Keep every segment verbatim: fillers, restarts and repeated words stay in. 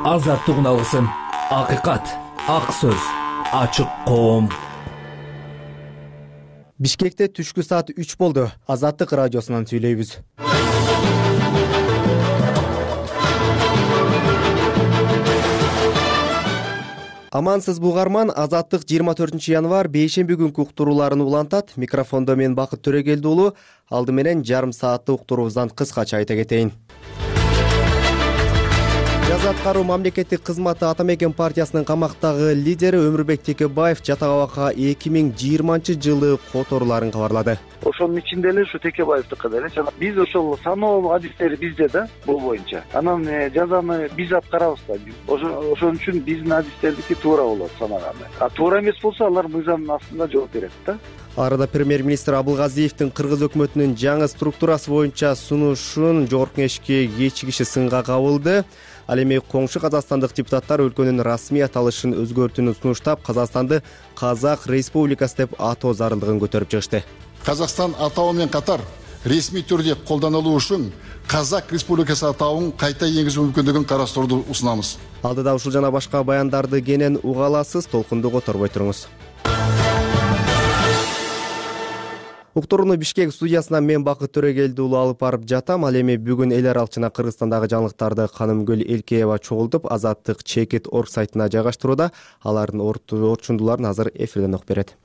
Азаттык алгысым, акыйкат, ак сөз, ачык коом. Бишкекте түшкү саат үч болду. Азаттык радиосунан сүйлөйбүз. Амансыз бугарман, Азаттык жыйырма төртүнчү январь бейшемби күнкү уктурууларын улантат. Микрофондо мен Бакыт Төрөгелди уулу. Алды менен жарым сааттык уктуруубуздан кыскача айта кетейин. Жаза аткаруу мамлекеттик кызматы Ата Мекен партиясынын камактагы лидери Өмүрбек Текебаев жатак абакка эки миң жыйырманчы жылы которуларын кабарлады. Ошонун ичинде эле ушу Текебаевдики деле биз ошол саноо адистери бизде да, бул боюнча. Анан жазаны биз аткарабыз да. Ошон үчүн биздин адистердики туура болот санаганы. А туура эмес болсо алар мыйзамдын астында жооп берет да. Арада премьер-министр Абылгазиевдин Кыргыз өкмөтүнүн жаңы структурасы боюнча сунушун жогорку кеңешке кечигиши сынга кабылды. Ал эми коңшу казакстандык депутаттар өлкөнүн расмий аталышын өзгөртүүнү сунуштап, Казакстанды Казак Республикасы деп атоо зарылдыгын көтөрүп чыгышты. Казакстан атоо менен катар ресми түрдө колдонулуу үчүн Казак Республикасы атауын кайта энгизүү мүмкүндүгүн карастырууну сунамыз. Алдыда ушул жана башка баяндарды кенен уга аласыз, толкунду которбой туруңуз. Уктурууну Бишкек студиясынан мен Бакыт Төрөгелди уулу алып барып жатам. Ал эми бүгүн эл аралык жана Кыргызстандагы жаңылыктарды Канымгүл Элкеева чогултуп, Азаттык Чекит орг сайтына жайгаштырууда. Алардын орчундуларын азыр эфирден окуп берет.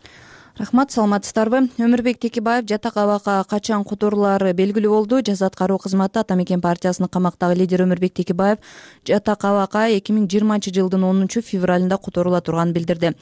Рахмат, саламатсыздарбы? Өмүрбек Текебаев жатак абакка качан которулары белгилүү болду. Жаза аткаруу кызматы Ата Мекен партиясынын камактагы лидери Өмүрбек Текебаев жатак абакка эки миң жыйырманчы жылдын онунчу февралында которула турганын билдирди.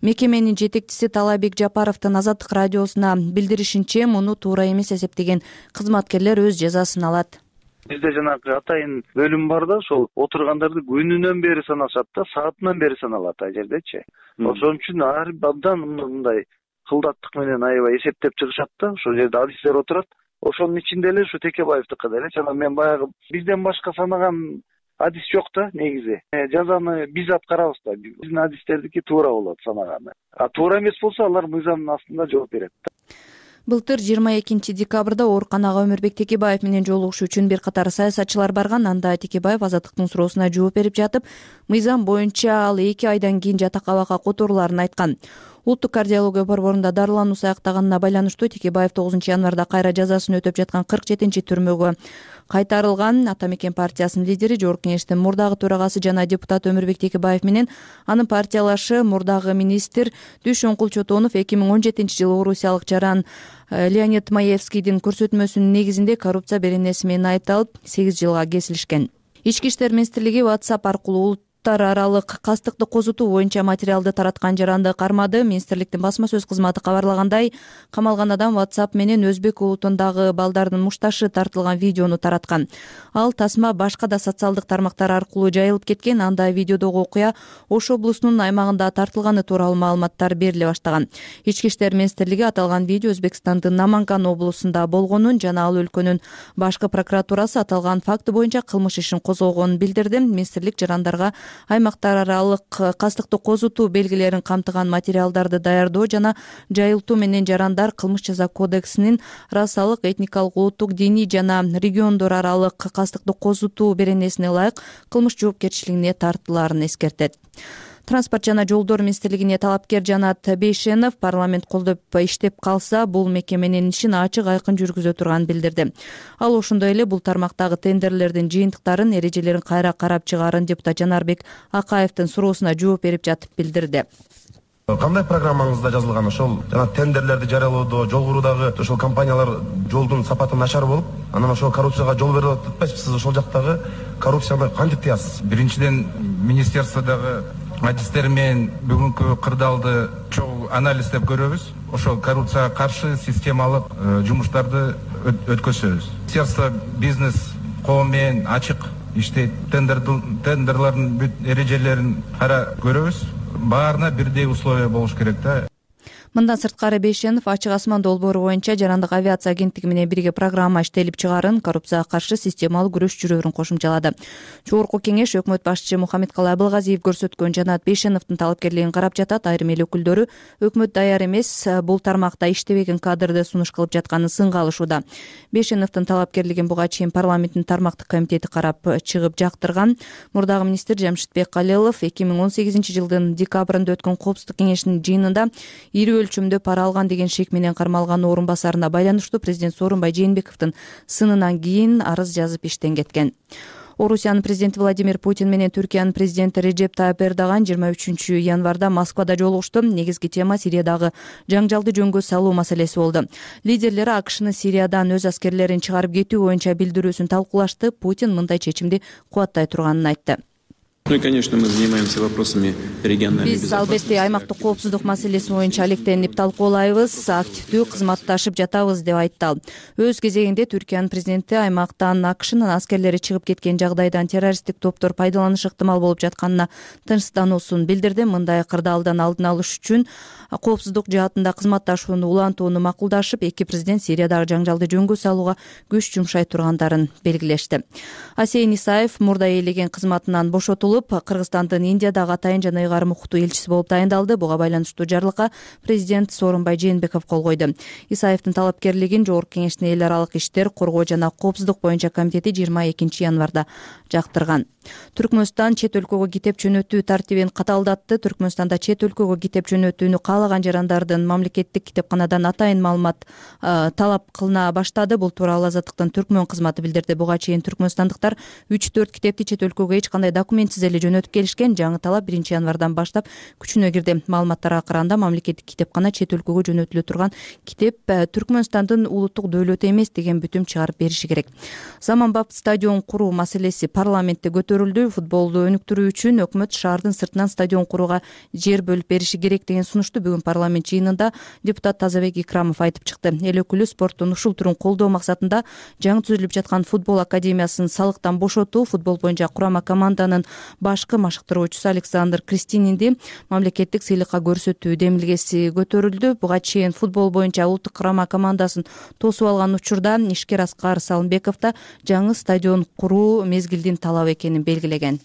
Мекеменин жетекчиси Талайбек Жапаровдун Азаттык радиосуна билдиришинче, муну туура эмес эсептеген кызматкерлер өз жазасын алат. Бизде жанагы атайын бөлүм бар да, ошол отургандарды күнүнөн бери санашат да, саатынан бери саналат ай жердечи. Ошон үчүн ар абдан мындай кылдаттык менен аябай эсептеп чыгышат да, ошол жерде адистер отурат. Ошонун ичинде эле ушу Текебаевдики деле жана мен баягы бизден башка санаган адис жок да негизи. Жазаны биз аткарабыз да. Биздин адистердики туура болот санаганы. А туура эмес болсо алар мыйзамдын астында жооп берет да. Былтыр жыйырма экинчи декабрда ооруканага Өмүрбек Текебаев менен жолугушуу үчүн бир катар саясатчылар барган. Анда Текебаев Азаттыктын суроосуна жооп берип жатып, мыйзам боюнча ал эки айдан кийин жатак абакка которуларын айткан. Улуттук кардиология борборунда дарылануусу аяктаганына байланыштуу Текебаев тогузунчу январда кайра жазасын өтөп жаткан кырк жетинчи түрмөгө кайтарылган. Ата Мекен партиясынын лидери, жогорку кеңештин мурдагы төрагасы жана депутат Өмүрбек Текебаев менен анын партиялашы мурдагы министр Дүйшөнкул Чотонов эки миң он жетинчи жылы орусиялык жаран Леонид Маевскийдин көрсөтмөсүнүн негизинде коррупция беренеси менен айыпталып сегиз жылга кесилишкен. Ички иштер министрлиги WhatsApp аркылуу улуттар аралык кастыкты козутуу боюнча материалды тараткан жаранды кармады. Министрликтин басма сөз кызматы кабарлагандай, камалган адам WhatsApp менен өзбек улутундагы балдардын мушташы тартылган видеону тараткан. Ал тасма башка да социалдык тармактар аркылуу жайылып кеткен. Анда видеодогу окуя Ош облусунун аймагында тартылганы тууралуу маалыматтар бериле баштаган. Ички иштер министрлиги аталган видео Өзбекстандын Наманган облусунда болгонун жана ал өлкөнүн башкы прокуратурасы аталган факты боюнча кылмыш ишин козгогонун билдирди. Министрлик жарандарга аймактар аралык кастыкты козутуу белгилерин камтыган материалдарды даярдоо жана жайылтуу менен жарандар кылмыш жаза кодексинин расалык, этникалык, улуттук, диний жана региондор аралык кастыкты козутуу беренесине ылайык кылмыш жоопкерчилигине тартылаарын эскертет. Транспорт жана жолдор министрлигине талапкер Жанат Бейшенов парламент колдоп иштеп калса, бул мекеменин ишин ачык айкын жүргүзө турганын билдирди. Ал ошондой эле бул тармактагы тендерлердин жыйынтыктарын, эрежелерин кайра карап чыгаарын депутат Жанарбек Акаевдин суроосуна жооп берип жатып билдирди. Кандай программаңызда жазылган ошол жана тендерлерди жарыялоодо, жол куруудагы ошол компаниялар жолдун сапаты начар болуп, анан ошол коррупцияга жол берип атпайсызбы? Сиз ошол жактагы коррупцияны кантип тыясыз? Биринчиден, министерстводагы адистер менен бүгүнкү кырдаалды чогуу анализдеп көрөбүз. Ошол коррупцияга каршы системалык жумуштарды өткөзөбүз. Министерство бизнес коом менен ачык иштейт. Тендерлардын бүт эрежелерин кара көрөбүз. Баарына бирдей условия болуш керек да. Мындан сырткары Бейшенов ачык асман долбоору боюнча жарандык авиация агенттиги менен бирге программа иштелип чыгаарын, коррупцияга каршы системалуу күрөш жүрөөрүн кошумчалады. Жогорку кеңеш өкмөт башчысы Мухаммедкалый Абылгазиев көрсөткөн Жанат Бейшеновдун талапкерлигин карап жатат. Айрым эл өкүлдөрү өкмөт даяр эмес, бул тармакта иштебеген кадрды сунуш кылып жатканын сынга алышууда. Бейшеновдун талапкерлигин буга чейин парламенттин тармактык комитети карап чыгып жактырган. Мурдагы министр Жамшитбек Калелов эки миң он сегизинчи жылдын декабрында өткөн коопсуздук кеңешинин жыйынында ири өлчөмдө пара алган деген шек менен кармалган орун басарына байланыштуу президент Сооронбай Жээнбековдун сынынан кийин арыз жазып иштен кеткен. Орусиянын президенти Владимир Путин менен Түркиянын президенти Реджеп Тайып Эрдоган жыйырма үчүнчү январда Москвада жолугушту. Негизги тема Сириядагы жаңжалды жөнгө салуу маселеси болду. Лидерлер АКШнын Сириядан өз аскерлерин чыгарып кетүү боюнча билдирүүсүн талкуулашты. Путин мындай чечимди кубаттай турганын айтты. Ну и, конечно, мы занимаемся вопросами региональной Биз албетте аймактык коопсуздук маселеси боюнча алектенип талкуулайбыз, активдүү кызматташып жатабыз деп айтты ал. Өз кезегинде Түркиянын президенти аймактан АКШнын аскерлери чыгып кеткен жагдайдан террористтик топтор пайдаланышы ыктымал болуп жатканына тынчсыздануусун билдирди. Мындай кырдаалдан алдын алыш үчүн коопсуздук жаатында кызматташууну улантууну макулдашып, эки президент Сириядагы жаңжалды жөнгө салууга күч жумшай тургандарын белгилешти. Асейн Исаев мурда ээлеген кызматынан бошотулуп, Кыргызстандын Индиядагы атайын жана ыйгарым укуктуу элчиси болуп дайындалды. Буга байланыштуу жарлыкка президент Сооронбай Жээнбеков кол койду. Исаевдин талапкерлигин Жогорку кеңештин эл аралык иштер, коргоо жана коопсуздук боюнча комитети жыйырма экинчи январда жактырган. Түркмөнстан чет өлкөгө китеп жөнөтүү тартибин каталдатты. Түркмөнстанда чет өлкөгө китеп жөнөтүүнү каалаган жарандардын мамлекеттик китепканадан атайын маалымат талап кылына баштады. Бул тууралуу Азаттыктын Түркмөн кызматы билдирди. Буга чейин түркмөнстандыктар үч төрт китепти чет өлкөгө эч кандай документсиз эле жөнөтүп келишкен. Жаңы талап биринчи январдан баштап күчүнө кирди. Маалыматтарга караганда мамлекеттик китепкана чет өлкөгө жөнөтүлө турган китеп Түркмөнстандын улуттук дөөлөтү эмес деген бүтүм чыгарып бериши керек. Заманбап стадион куруу маселеси парламентте көтөрүлдү. Футболду өнүктүрүү үчүн өкмөт шаардын сыртынан стадион курууга жер бөлүп бериши керек деген сунушту бүгүн парламент жыйынында депутат Тазабек Икрамов айтып чыкты. Эл өкүлү спорттун ушул түрүн колдоо максатында жаңы түзүлүп жаткан футбол академиясын салыктан бошотуу, футбол боюнча курама команданын башкы машыктыруучусу Александр Кристининди мамлекеттик сыйлыкка көрсөтүү демилгеси көтөрүлдү. Буга чейин футбол боюнча улуттук курама командасын тосуп алган учурда ишкер Аскар Салымбеков да жаңы стадион куруу мезгилдин талабы экенин белгилеген.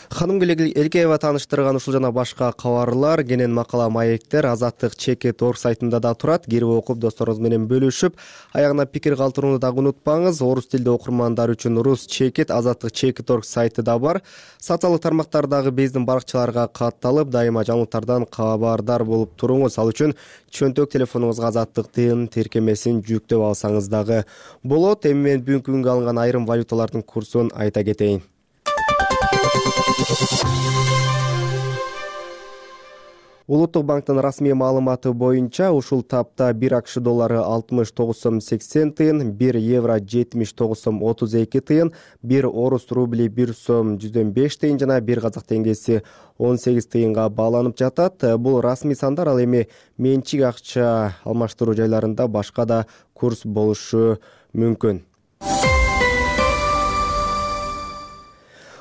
Ханым Элкеева тааныштырган ушул жана башка кабарлар, кенен макала, маектер Азаттык чекит точка орг сайтында да турат. Кирип окуп, досторуңуз менен бөлүшүп, аягына пикир калтырууну дагы унутпаңыз. Орус тилдүү окурмандар үчүн Рус чекит Азаттык чекит точка орг сайты да бар. Социалдык тармактардагы биздин баракчаларга катталып, дайыма жаңылыктардан кабардар болуп туруңуз. Ал үчүн чөнтөк телефонуңузга Азаттыктын тиркемесин жүктөп алсаңыз дагы болот. Эми мен бүгүнкү күнгө алынган айрым валюталардын курсун айта кетейин. Улуттук банктын расмий маалыматы боюнча ушул тапта бир АКШ доллары алтымыш тогуз сом сексен тыйын, бир евро жетимиш тогуз сом отуз эки тыйын, бир орус рубли бир сом жүздөн беш тыйын жана бир казак теңгеси он сегиз тыйынга бааланып жатат. Бул расмий сандар, ал эми менчик акча алмаштыруу жайларында башка да курс болушу мүмкүн.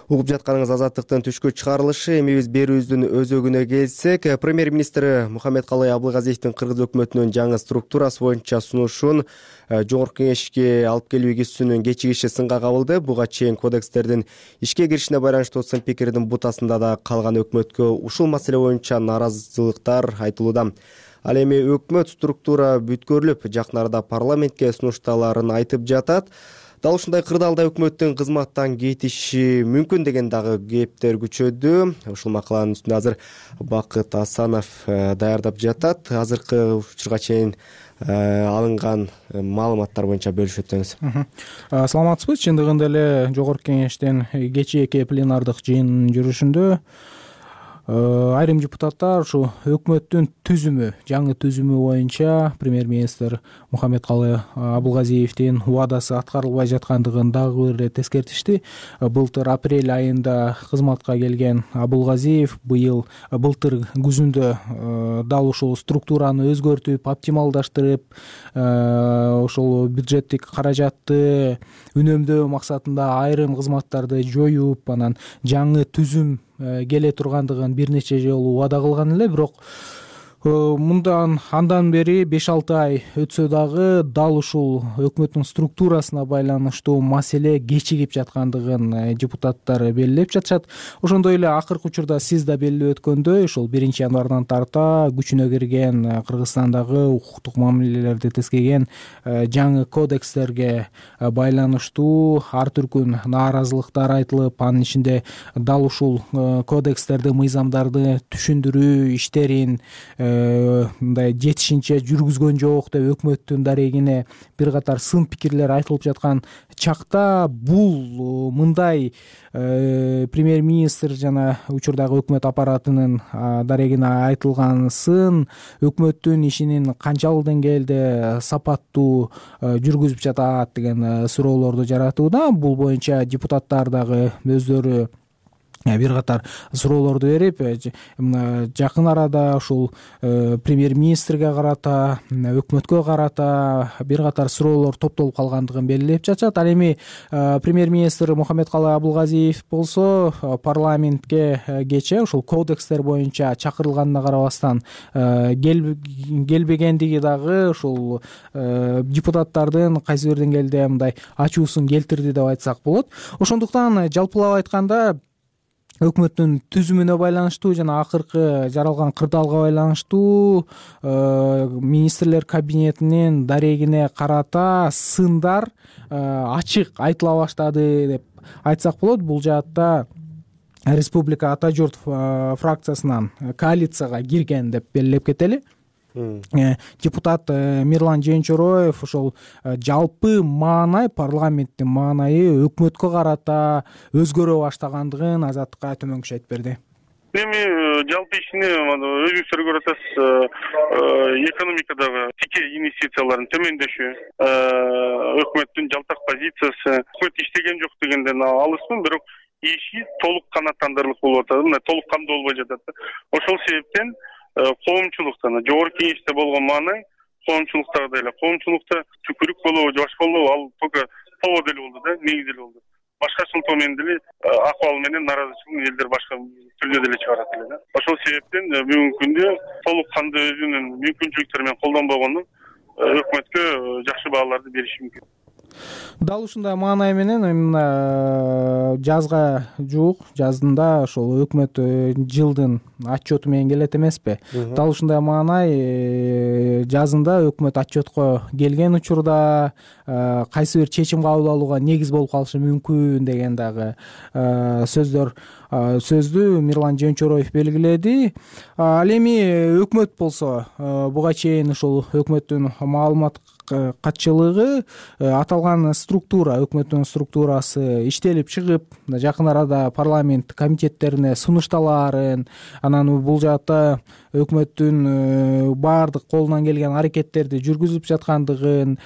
Угуп жатканыңыз Азаттыктын түшкү чыгарылышы. Эми биз берүүбүздүн өзөгүнө келсек, премьер-министри Мухаммедкалый Абылгазиевдин кыргыз өкмөтүнүн жаңы структурасы боюнча сунушун Жогорку кеңешке алып келүү игисинин кечигиши сынга кабылды. Буга чейин кодекстердин ишке киришине байланыштуу сын пикирдин бутасында да калган өкмөткө ушул маселе боюнча нааразычылыктар айтылууда. Ал эми өкмөт структура бүткөрүлүп, жакын арада парламентке сунушталарын айтып жатат. Дал ушундай кырдаалда өкмөттүн кызматтан кетиши мүмкүн деген дагы кептер күчөдү. Ушул макаланын үстүндө азыр Бакыт Асанов даярдап жатат. Азыркы учурга чейин алынган маалыматтар боюнча бөлүшүп өтсөңүз. Саламатсызбы? Чындыгында эле Жогорку кеңештин кечээки пленардык жыйынынын жүрүшүндө айрым депутаттар ушу өкмөттүн түзүмү, жаңы түзүмү боюнча премьер-министр Мухаммедкалый Абылгазиевдин убадасы аткарылбай жаткандыгын дагы бир тескертишти. Былтыр апрель айында кызматка келген Абылгазиев быйыл былтыр күзүндө дал ушул структураны өзгөртүп, оптималдаштырып, ошол бюджеттик каражатты үнөмдөө максатында айрым кызматтарды жоюп, анан жаңы түзүм келе тургандыгын бир нече жолу убада кылган эле. Бирок мындан андан бери беш алты ай өтсө дагы дал ушул өкмөттүн структурасына байланыштуу маселе кечигип жаткандыгын депутаттар белгилеп жатышат. Ошондой эле акыркы учурда сиз да белгилеп өткөндөй ушул биринчи январдан тарта күчүнө кирген Кыргызстандагы укуктук мамилелерди тизген жаңы кодекстерге байланыштуу ар түркүн нааразылыктар айтылып, анын ичинде дал ушул кодекстерди, мыйзамдарды түшүндүрүү иштерин мындай жетишинче жүргүзгөн жок деп өкмөттүн дарегине бир катар сын пикирлер айтылып жаткан чакта бул мындай премьер-министр жана учурдагы өкмөт аппаратынын дарегине айтылган сын өкмөттүн ишинин канчалык деңгээлде сапаттуу жүргүзүп жатат деген суроолорду жаратууда. Бул боюнча депутаттар дагы өздөрү бир катар суроолорду берип, жакын арада ушул премьер-министрге карата, өкмөткө карата бир катар суроолор топтолуп калгандыгын белгилеп жатышат. Ал эми премьер-министр Мухаммедкалый Абылгазиев болсо парламентке кечээ ушул кодекстер боюнча чакырылганына карабастан келбегендиги дагы ушул депутаттардын кайсы бир деңгээлде мындай ачуусун келтирди деп айтсак болот. Ошондуктан жалпылап айтканда өкмөттүн түзүмүнө байланыштуу жана акыркы жаралган кырдаалга байланыштуу министрлер кабинетинин дарегине карата сындар ачык айтыла баштады деп айтсак болот. Бул жаатта Республика Ата журт фракциясынан коалицияга кирген деп белгилеп кетели. Депутат Мирлан Жээнчороев ошол жалпы маанай, парламенттин маанайы өкмөткө карата өзгөрө баштагандыгын Азаттыкка төмөнкүчө айтып берди. Эми жалпы ишине өзүңүздөр көрүп атасыз, экономикадагы тике инвестициялардын төмөндөшү, өкмөттүн жалтак позициясы, өкмөт иштеген жок дегенден алысмын, бирок иши толук канааттандырылып болуп атат, мына толук камдоо болбой жатат. Ошол себептен коомчулуктан жогорку кеңеште болгон маанай коомчулуктагы эле коомчулукта түкүрүк болобу же башка болобу, ал только повод эле болду да, негиз эле болду. Башкачыл менен деле акыбал менен нааразычылык элдер башка түрдө деле чыгарат эле да. Ошол себептен бүгүнкү күндө толук кандуу өзүнүн мүмкүнчүлүктөрү менен колдонбогону өкмөткө жакшы бааларды бериши мүмкүн. Дал ушундай маанай менен мына жазга жуук, жазында ошол өкмөт жылдын отчету менен келет эмеспи? Дал ушундай маанай жазында өкмөт отчетко келген учурда кайсы бир чечим кабыл алууга негиз болуп калышы мүмкүн деген дагы сөздөр сөздү Мирлан Жээнчороев белгиледи. Ал эми өкмөт болсо буга чейин ушул өкмөттүн маалымат катчылыгы аталган структура, өкмөттүн структурасы иштелип чыгып, жакын арада парламент комитеттерине сунушталаарын, анан бул жаатта өкмөттүн баардык колунан келген аракеттерди жүргүзүп жаткандыгын,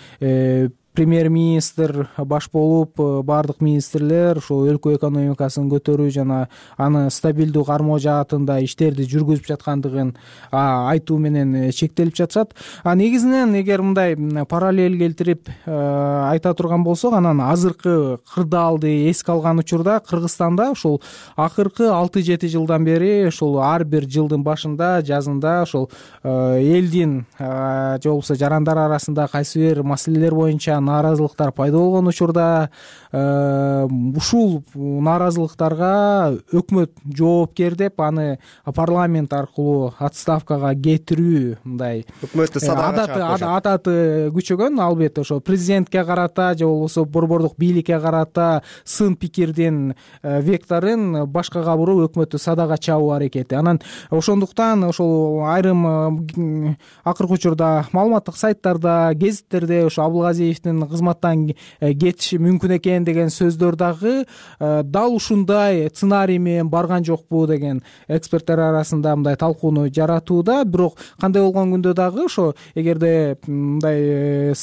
премьер-министр баш болуп баардык министрлер ошол өлкө экономикасын көтөрүү жана аны стабилдүү кармоо жаатында иштерди жүргүзүп жаткандыгын айтуу менен чектелип жатышат. А негизинен эгер мындай параллель келтирип айта турган болсок, анан азыркы кырдаалды эске алган учурда Кыргызстанда ушул акыркы алты жети жылдан бери ушул ар бир жылдын башында, жазында ошол элдин же болбосо жарандар арасында кайсы бир маселелер боюнча нааразылыктар пайда болгон учурда ушул нааразылыктарга өкмөт жоопкер деп аны парламент аркылуу отставкага кетирүү мындай өкмөттү садага адаты күчөгөн. Албетте ошо президентке карата же болбосо борбордук бийликке карата сын пикирдин векторун башкага буруп өкмөттү садага чабуу аракети. Анан ошондуктан ошол айрым акыркы учурда маалыматтык сайттарда, гезиттерде ошо Абылгазиевдин кызматтан кетиши мүмкүн экен деген сөздөр дагы дал ушундай сценарий менен барган жокпу деген эксперттер арасында мындай талкууну жаратууда. Бирок кандай болгон күндө дагы ошо эгерде мындай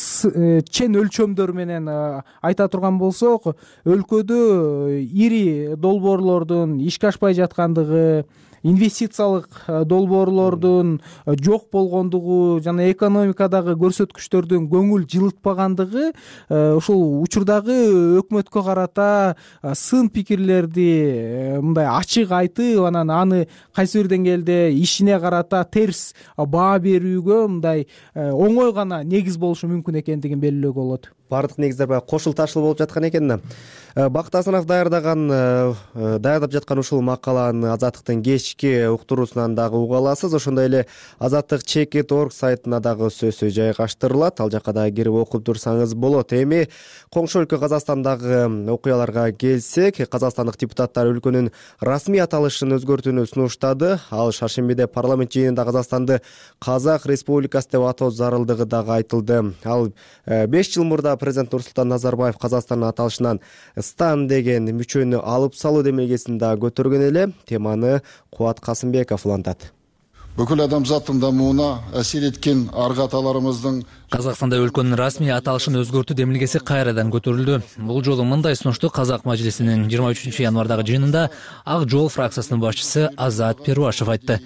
чен өлчөмдөр менен айта турган болсок, өлкөдө ири долбоорлордун ишке ашпай жаткандыгы, инвестициялык долбоорлордун жок болгондугу жана экономикадагы көрсөткүчтөрдүн көңүл жылытпагандыгы ушул учурдагы өкмөткө карата сын пикирлерди мындай ачык айтып анан аны кайсы бир деңгээлде ишине карата терс баа берүүгө мындай оңой гана негиз болушу мүмкүн экендигин белгилөөгө болот. Бардык негиздер баягы кошул ташыл болуп жаткан экен да. Бакыт Асанов даярдаган даярдап жаткан ушул макаланы Азаттыктын кечки уктуруусунан дагы уга аласыз. Ошондой эле Азаттык чекит точка орг сайтына дагы сөзсүз жайгаштырылат. Ал жакка дагы кирип окуп турсаңыз болот. Эми коңшу өлкө Казакстандагы окуяларга келсек, казакстандык депутаттар өлкөнүн расмий аталышын өзгөртүүнү сунуштады. Ал шаршембиде парламент жыйынында Казакстанды Казак Республикасы деп атоо зарылдыгы дагы айтылды. Ал беш жыл мурда президент Нурсултан Назарбаев Казакстандын аталышынан Стан деген мүчөнү алып салуу демилгесин да көтөргөн эле. Теманы Кубат Касымбеков улантат. Бүкүл адамзаттын дамууна асир эткен аргы аталарыбыздын Казакстанда өлкөнүн расмий аталышын өзгөртүү демилгеси кайрадан көтөрүлдү. Бул жолу мындай сунушту Казак мажлисинин жыйырма үчүнчү январдагы жыйынында Ак жол фракциясынын башчысы Азат Перуашев айтты.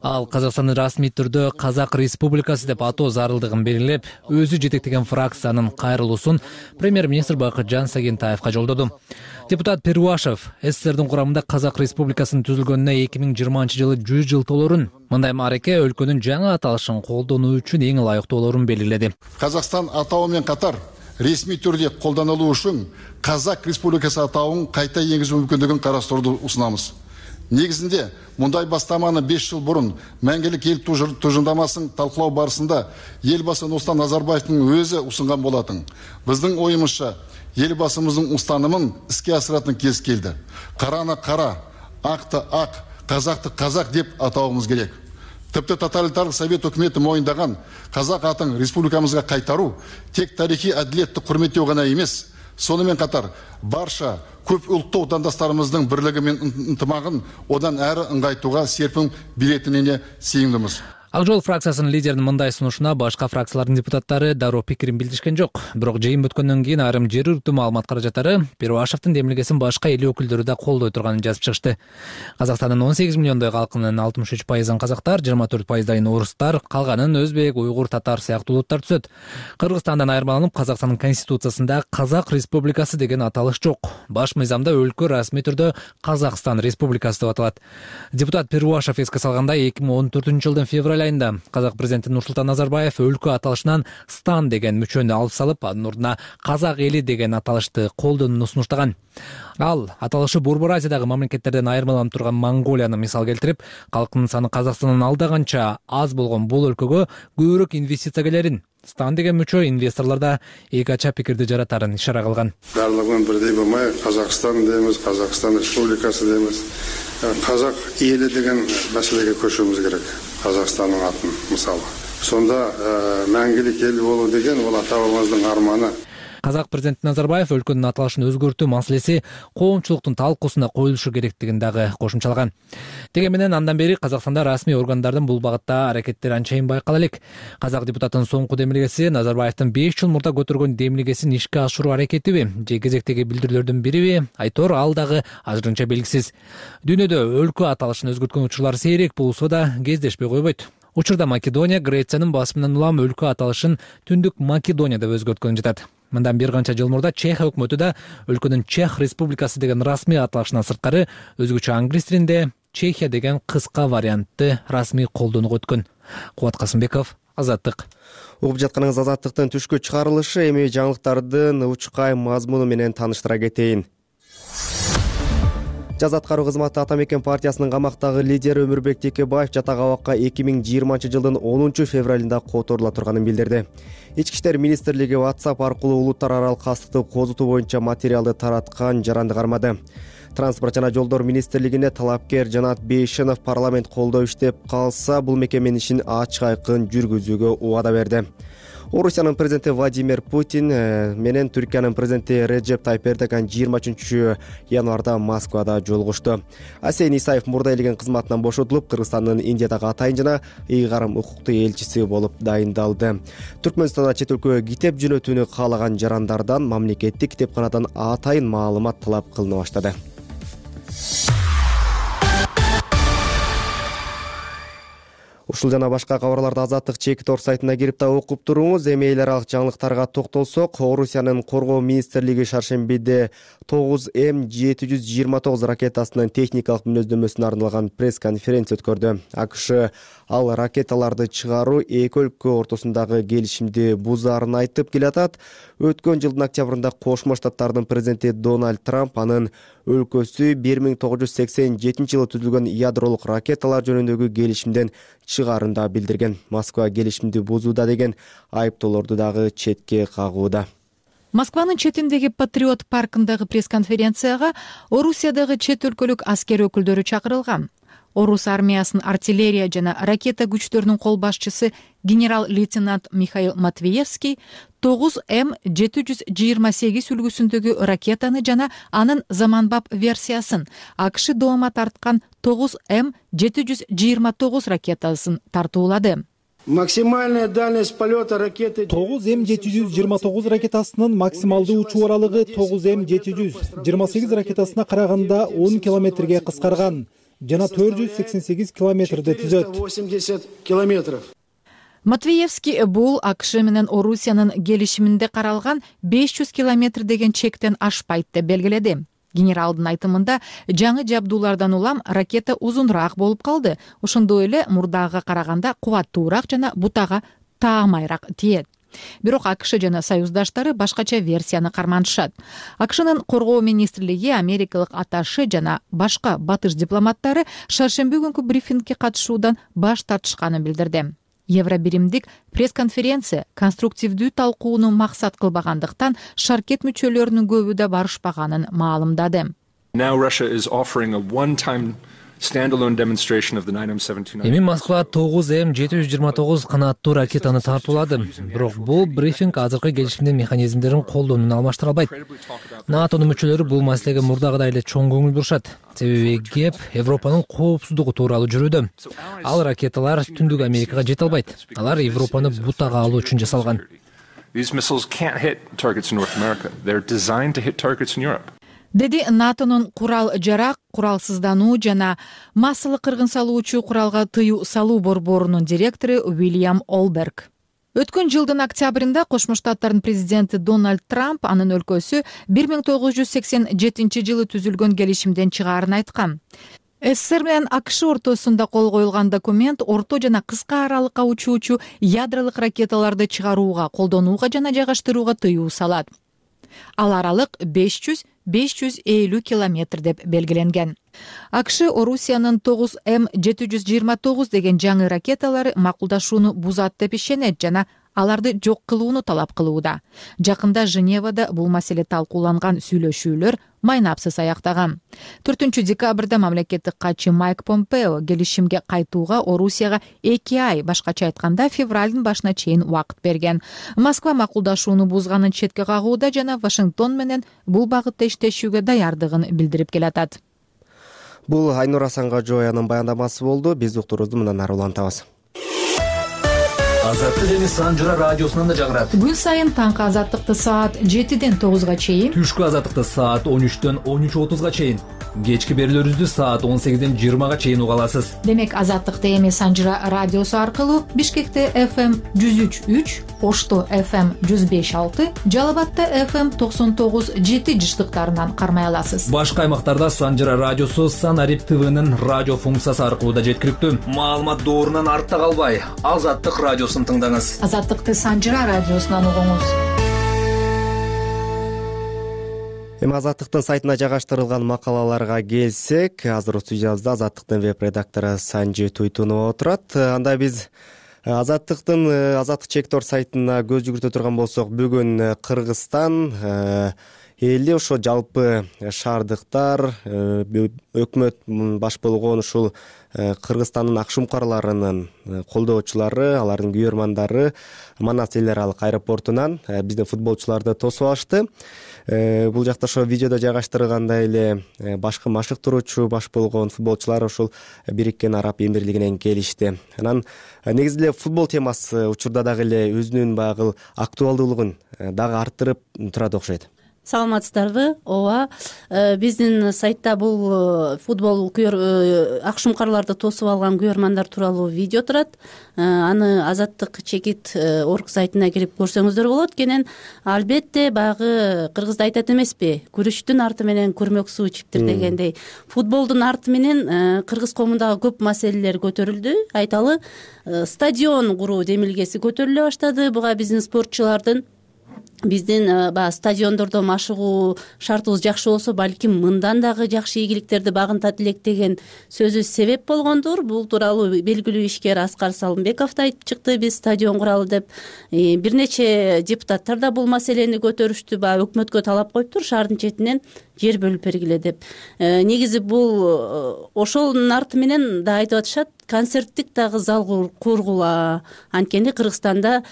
Ал Казакстандын расмий түрдө Казак Республикасы деп атоо зарылдыгын белгилеп, өзү жетектеген фракциянын кайрылуусун премьер-министр Бакытжан Сагентаевка жолдоду. Депутат Перуашев СССРдин курамында Казак Республикасынын түзүлгөнүнө эки миң жыйырманчы жылы жүз жыл толорун, мындай маареке өлкөнүн жаңы аталышын колдонуу үчүн эң ылайыктуулорун белгиледи. Казакстан атауы менен катар ресми түрдө колдонулуу үчүн Казак Республикасы атауын кайта энгизүү мүмкүндүгүн карастырууну усунабыз. Негизинде мындай бастаманы беш жыл бурун Мәңгилик эл тужурдамасын талкылоо барысында элбасы Нурсултан Назарбаевдин өзү усунган болатын. Биздин оюмузча элбасыбыздын устанымын иске асыратын кез келди. Караны кара, акты ак, казакты казак деп атауымыз керек. Тіпті тоталитарлық совет өкіметі мойындаған қазақ атын республикамызға қайтару тек тарихи әділетті құрметтеу ғана емес, сонымен қатар барша көп ұлтты отандастарымыздың бірлігі мен ынтымағын одан әрі ыңғайтуға серпін беретініне сенімдіміз. Ак жол фракциясынын лидеринин мындай сунушуна башка фракциялардын депутаттары дароо пикирин билдиришкен жок. Бирок жыйын бүткөндөн кийин айрым жергиликтүү маалымат каражаттары Перуашевдин демилгесин башка эл өкүлдөрү да колдой турганын жазып чыгышты. Казакстандын он сегиз миллиондой калкынын алтымыш үч пайызын казактар, жыйырма төрт пайыздайын орустар, калганын өзбек, уйгур, татар сыяктуу улуттар түзөт. Кыргызстандан айырмаланып, Казакстандын конституциясында Казак Республикасы деген аталыш жок. Баш мыйзамда өлкө расмий түрдө Казакстан Республикасы деп аталат. Депутат Перуашев эске салгандай, эки миң он төртүнчү жылдын февраль айында Казак президенти Нурсултан Назарбаев өлкө аталышынан Стан деген мүчөнү алып салып, анын ордуна Казак эли деген аталышты колдонууну сунуштаган. Ал аталышы Борбор Азиядагы мамлекеттерден айырмаланып турган Монголияны мисал келтирип, калкынын саны Казакстандан алдаганча аз болгон бул өлкөгө көбүрөөк инвестиция келерин, Стан деген мүчө инвесторлордо эки ача пикирди жаратарын ишара кылган. Барлыгын бирдей болмай, Казакстан дейбиз, Казакстан Республикасы дейбиз. Казак эли деген маселеге көчүүбүз керек. Казакстандын атын мисалы. Сонда мәңгилик эл болуу деген ол атабыздын арманы. Казак президенти Назарбаев өлкөнүн аталышын өзгөртүү маселеси коомчулуктун талкуусуна коюлушу керектигин дагы кошумчалаган. Деген менен андан бери Казакстанда расмий органдардын бул багытта аракеттери анчайын байкала элек. Казак депутатынын соңку демилгеси Назарбаевдин беш жыл мурда көтөргөн демилгесин ишке ашыруу аракетиби же кезектеги билдирүүлөрдүн бириби, айтор ал дагы азырынча белгисиз. Дүйнөдө өлкө аталышын өзгөрткөн учурлар сейрек болсо да кездешпей койбойт. Учурда Македония Грециянын басымынан улам өлкө аталышын Түндүк Македония деп өзгөрткөн жатат. Мындан бир канча жыл мурда Чехия өкмөтү да өлкөнүн Чех Республикасы деген расмий аталышынан сырткары өзгөчө англис тилинде Чехия деген кыска вариантты расмий колдонууга өткөн. Кубат Касымбеков, Азаттык. Угуп жатканыңыз Азаттыктын түшкү чыгарылышы. Эми жаңылыктардын учкай мазмуну менен тааныштыра кетейин. Жаз аткаруу кызматы Атамекен партиясынын камактагы лидери Өмүрбек Текебаев жатак абакка эки миң жыйырманчы жылдын онунчу февралында которула турганын билдирди. Ички иштер министрлиги WhatsApp аркылуу улуттар аралык кастыкты козутуу боюнча материалды тараткан жаранды кармады. Транспорт жана жолдор министрлигине талапкер Жанат Бейшенов парламент колдоо иштеп калса, бул мекеменин ишин ачык айкын жүргүзүүгө убада берди. Орусиянын президенти Владимир Путин менен Түркиянын президенти Реджеп Тайып Эрдоган жыйырма үчүнчү январда Москвада жолугушту. Асен Исаев мурда элеген кызматынан бошотулуп, Кыргызстандын Индиядагы атайын жана ыйгарым укуктуу элчиси болуп дайындалды. Түркмөнстанда чет өлкөгө китеп жөнөтүүнү каалаган жарандардан мамлекеттик китепканадан атайын маалымат талап кылына баштады. Ушул жана башка кабарларды Азаттык чеки тор сайтына кирип да окуп туруңуз. Эми эл аралык жаңылыктарга токтолсок, Орусиянын коргоо министрлиги шаршембиде тогуз эм жети жүз жыйырма тогуз ракетасынын техникалык мүнөздөмөсүнө арналган пресс-конференция өткөрдү. АКШ ал ракеталарды чыгаруу эки өлкө ортосундагы келишимди бузаарын айтып келатат. Өткөн жылдын октябрында Кошмо Штаттардын президенти Дональд Трамп анын өлкөсү бир миң тогуз жүз сексен жетинчи жылы түзүлгөн ядролук ракеталар жөнүндөгү келишимден чыгаарын да билдирген. Москва келишимди бузууда деген айыптоолорду дагы четке кагууда. Москванын четиндеги Патриот паркындагы пресс-конференцияга Орусиядагы чет өлкөлүк аскер өкүлдөрү чакырылган. Орус армиясынын артиллерия жана ракета күчтөрүнүн кол башчысы генерал-лейтенант Михаил Матвеевский тогуз эм жети жүз жыйырма сегиз үлгүсүндөгү ракетаны жана анын заманбап версиясын, АКШ доомат тарткан тогуз эм жети жүз жыйырма тогуз ракетасын тартуулады. Максимальная дальность полета ракеты тогуз эм жети жүз жыйырма тогуз ракетасынын максималдуу учуу аралыгы тогуз эм жети жүз жыйырма сегиз ракетасына караганда он километрге кыскарган жана төрт жүз сексен сегиз километрди түзөт. восемьдесят километров. Матвеевский бул АКШ менен Орусиянын келишиминде каралган беш жүз километр деген чектен ашпайт деп белгиледи. Генералдын айтымында жаңы жабдуулардан улам ракета узунураак болуп калды. Ошондой эле мурдагыга караганда кубаттуураак жана бутага таамайраак тиет. Бирок АКШ жана союздаштары башкача версияны карманышат. АКШнын коргоо министрлиги, америкалык атташе жана башка батыш дипломаттары шаршемби күнкү брифингге катышуудан баш тартышканын билдирди. Евробиримдик пресс-конференция конструктивдүү талкууну максат кылбагандыктан шаркет мүчөлөрүнүн көбү да барышпаганын маалымдады. Эми Москва тогуз эм жети жүз жыйырма тогуз канаттуу ракетаны тартуулады. Бирок бул брифинг азыркы келишимдин механизмдерин колдонууну алмаштыра албайт. НАТОнун мүчөлөрү бул маселеге мурдагыдай эле чоң көңүл бурушат. Себеби кеп Европанын коопсуздугу тууралуу жүрүүдө. Ал ракеталар Түндүк Америкага жете албайт. Алар Европаны бутага алуу үчүн жасалган. Деди НАТОнун курал жарак, куралсыздануу жана массалык кыргын салуучу куралга тыюу салуу борборунун директору Уильям Олберг. Өткөн жылдын октябрында Кошмо Штаттардын президенти Дональд Трамп анын өлкөсү бир миң тогуз жүз сексен жетинчи жылы түзүлгөн келишимден чыгаарын айткан. СССР менен АКШ ортосунда кол коюлган документ орто жана кыска аралыкка учуучу ядролук ракеталарды чыгарууга, колдонууга жана жайгаштырууга тыюу салат. Ал аралык беш жүз — беш жүз элүү километр деп белгиленген. АКШ Орусиянын тогуз эм жети жүз жыйырма тогуз деген жаңы ракеталары макулдашууну бузат деп ишенет жана аларды жок кылууну талап кылууда. Жакында Женевада бул маселе талкууланган сүйлөшүүлөр майнапсыз аяктаган. төртүнчү декабрда мамлекеттик катчы Майк Помпео келишимге кайтууга Орусияга эки ай, башкача айтканда февралдын башына чейин убакыт берген. Москва макулдашууну бузганын четке кагууда жана Вашингтон менен бул багытта иштешүүгө даярдыгын билдирип келатат. Бул Айнур Асангажоянын баяндамасы болду. Биз уктурубузду мындан ары улантабыз. Азаттык эми Санжыра радиосунан да жаңырат. Күн сайын таңкы азаттыкты саат жетиден тогузга чейин, түшкү азаттыкты саат он үчтөн он үч отузга чейин, кечки берүүлөрүбүздү саат он сегизден жыйырмага чейин уга аласыз. Демек азаттыкты эми Санжыра радиосу аркылуу Бишкекте эф эм жүз үч үч, Ошто эф эм жүз беш алты, Жалал Абадта эф эм токсон тогуз жети жыштыктарынан кармай аласыз. Башка аймактарда Санжыра радиосу Санарип ТВнын радио функциясы аркылуу да жеткиликтүү. Маалымат доорунан артта калбай, Азаттык радиосун тыңдаңыз. Азаттыкты Санжыра радиосунан угуңуз. Эми Азаттыктын сайтына жайгаштырылган макалаларга келсек, азыр студиябызда Азаттыктын веб-редактору Санжи Туйтунова отурат. Анда биз Азаттыктын Азаттык чеки тор сайтына көз жүгүртө турган болсок, бүгүн Кыргызстан эли ошо жалпы шаардыктар, өкмөт баш болгон ушул Кыргызстандын акшумкарларынын колдоочулары, алардын күйөрмандары Манас эл аралык аэропортунан биздин футболчуларды тосуп алышты. Бул жакта ошо видеодо жайгаштырылгандай эле башкы машыктыруучу баш болгон футболчулар ушул Бириккен Араб Эмирлигинен келишти. Анан негизи эле футбол темасы учурда дагы эле өзүнүн баягы актуалдуулугун дагы арттырып турат окшойт. саламатсыздарбы? ооба, биздин сайтта бул футбол акшумкарларды тосуп алган күйөрмандар тууралуу видео турат. Аны Азаттык чекит орг сайтына кирип көрсөңүздөр болот. Кенен албетте баягы кыргызда айтат эмеспи, күрүчтүн арты менен күрмөк суу ичиптир дегендей, футболдун арты менен кыргыз коомундагы көп маселелер көтөрүлдү. Айталы, стадион куруу демилгеси көтөрүлө баштады. Буга биздин спортчулардын биздин баягы стадиондордо машыгуу шартыбыз жакшы болсо, балким мындан дагы жакшы ийгиликтерди багынтат элек деген сөзү себеп болгондур. Бул тууралуу белгилүү ишкер Аскар Салымбеков да айтып чыкты, биз стадион куралы деп. Бир нече депутаттар да бул маселени көтөрүштү, баягы өкмөткө талап коюптур, шаардын четинен жер бөлүп бергиле деп. Негизи бул ошонун арты менен да айтып атышат, концерттик дагы зал кургула. Анткени Кыргызстанда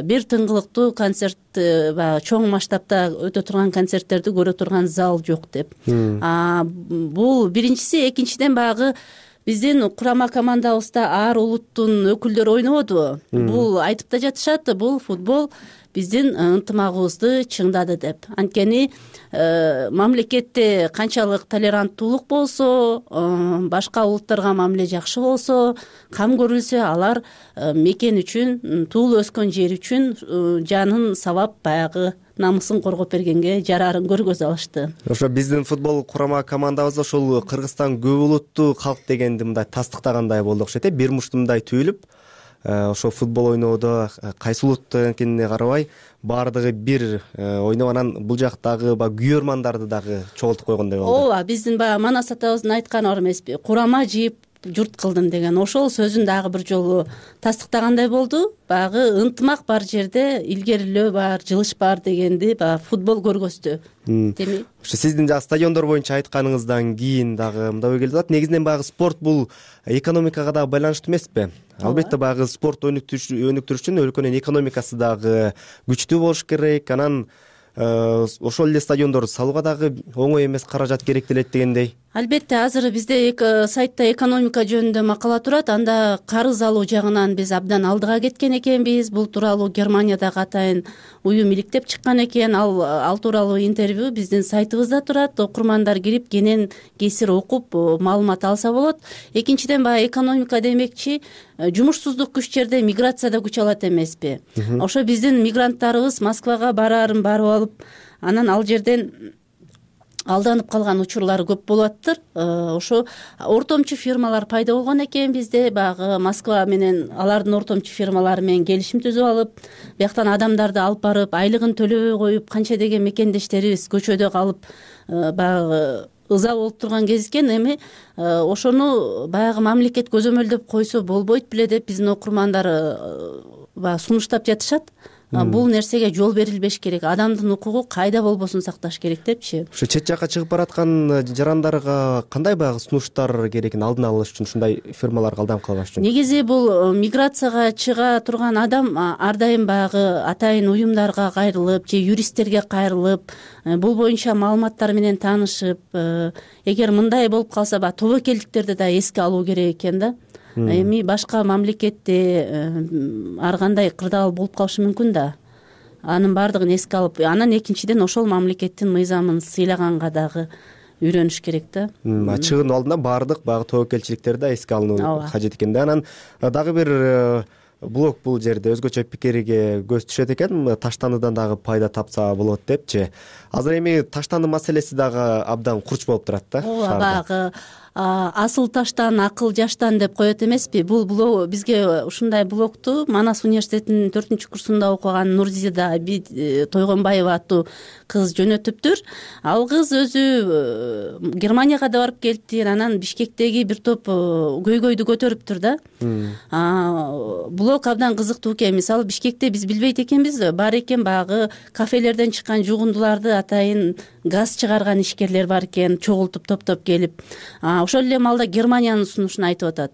бир тыңгылыктуу концерт, баягы чоң масштабта өтө турган концерттерди көрө турган зал жок деп. Бул биринчиси. Экинчиден, баягы биздин курама командабызда ар улуттун өкүлдөрү ойнободубу? Бул айтып да жатышат, бул футбол биздин ынтымагыбызды чыңдады деп. Анткени мамлекетте канчалык толеранттуулук болсо, башка улуттарга мамиле жакшы болсо, кам көрүлсө, алар мекен үчүн, туулуп өскөн жери үчүн жанын сабап, баягы намысын коргоп бергенге жараарын көргөзө алышты. Ошо биздин футбол курама командабыз ошол Кыргызстан көп улуттуу калк дегенди мындай тастыктагандай болду окшойт э. Бир муштумдай түйүлүп, ошо футбол ойноодо кайсы улут экенине карабай баардыгы бир ойноп, анан бул жактагы баягы күйөрмандарды дагы чогултуп койгондой болду. Ооба, биздин баягы Манас атабыздын айтканы бар эмеспи, курама жыйып журт кылдым деген. Ошол сөзүн дагы бир жолу тастыктагандай болду. Баягы ынтымак бар жерде илгерилөө бар, жылыш бар дегенди баягы футбол көргөздү. Демек, ошо сиздин жагы стадиондор боюнча айтканыңыздан кийин дагы мындай ой келип атат. Негизинен баягы спорт бул экономикага дагы байланыштуу эмеспи? Албетте баягы спорт өнүктүрүш үчүн өлкөнүн экономикасы дагы күчтүү болуш керек. Анан ошол эле стадиондорду салууга дагы оңой эмес каражат керектелет дегендей. Албетте, азыр бизде сайтта экономика жөнүндө макала турат. Анда карыз алуу жагынан биз абдан алдыга кеткен экенбиз. Бул тууралуу Германиядагы атайын уюм иликтеп чыккан экен. Ал ал тууралуу интервью биздин сайтыбызда турат. Окурмандар кирип кенен кесир окуп маалымат алса болот. Экинчиден, баягы экономика демекчи, жумушсуздук күч жерде миграция да күч алат эмеспи? Ошо биздин мигранттарыбыз Москвага бараарын барып алып, анан ал жерден алданып калган учурлары көп болуп атыптыр. Ошо ортомчу фирмалар пайда болгон экен бизде. Баягы Москва менен алардын ортомчу фирмалары менен келишим түзүп алып, бияктан адамдарды алып барып, айлыгын төлөбөй коюп, канча деген мекендештерибиз көчөдө калып, баягы ыза болуп турган кез экен. Эми ошону баягы мамлекет көзөмөлдөп койсо болбойт беле деп биздин окурмандар баягы сунуштап жатышат. Бул нерсеге жол берилбеш керек. Адамдын укугу кайда болбосун сакташ керек депчи. Ушу чет жакка чыгып бараткан жарандарга кандай баягы сунуштар керекин алдын алыш үчүн, ушундай фирмаларга алданып калбаш үчүн? Негизи бул миграцияга чыга турган адам ар дайым баягы атайын уюмдарга кайрылып же юристтерге кайрылып, бул боюнча маалыматтар менен таанышып, эгер мындай болуп калса, баягы тобокелдиктерди да эске алуу керек экен да. Эми башка мамлекетте ар кандай кырдаал болуп калышы мүмкүн да. Анын баардыгын эске алып, анан экинчиден ошол мамлекеттин мыйзамын сыйлаганга дагы үйрөнүш керек да. Чыгуу алдында баардык баягы тобокелчиликтерди да эске алынуу кажет экен да. Анан дагы бир блок бул жерде өзгөчө пикирге көз түшөт экен. Таштандыдан дагы пайда тапса болот депчи. Азыр эми таштанды маселеси дагы абдан курч болуп турат да. Ооба, баягы асыл таштан, акыл жаштан деп коет эмеспи? Бул блог бизге ушундай блогту Манас университетинин төртүнчү курсунда окуган Нурзида Тойгонбаева аттуу кыз жөнөтүптүр. Ал кыз өзү Германияга да барып келиптир, анан Бишкектеги бир топ көйгөйдү көтөрүптүр да. Блог абдан кызыктуу экен. Мисалы, Бишкекте биз билбейт экенбиз, бар экен баягы кафелерден чыккан жугундуларды атайын газ чыгарган ишкерлер бар экен, чогултуп топтоп келип. Ошол эле маалда Германиянын сунушун айтып атат.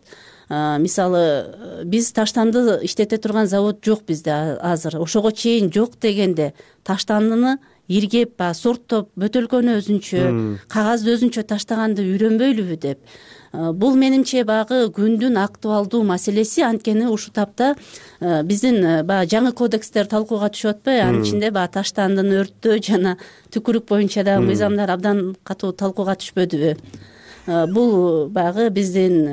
Мисалы, биз таштанды иштете турган завод жок бизде азыр. Ошого чейин жок дегенде таштандыны иргеп, сорттоп, бөтөлкөнү өзүнчө, кагазды өзүнчө таштаганды үйрөнбөйлүбү деп. бул менимче баягы күндүн актуалдуу маселеси. Анткени ушул тапта биздин баягы жаңы кодекстер талкууга түшүп атпайбы, анын ичинде баягы таштандын өрттөө жана түкүрүк боюнча дагы мыйзамдар абдан катуу талкууга түшпөдүбү? Бул баягы биздин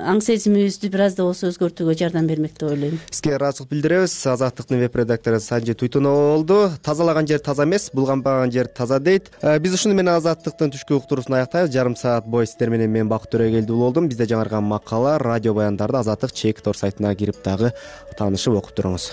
аң сезимибизди бир аз да болсо өзгөртүүгө жардам бермек деп ойлойм. Сизге ыраазычылык билдиребиз. Азаттыктын веб редактору Санжи Туйтунова болду. Тазалаган жер таза эмес, булганбаган жер таза дейт. Биз ушуну менен Азаттыктын түшкү уктуруусун аяктайбыз. Жарым саат бою сиздер менен мен Бакыт Төрөгелдүү болдум. Бизде жаңырган макала, радио баяндарды Азаттык Чек Тор сайтына кирип дагы таанышып окуп туруңуз.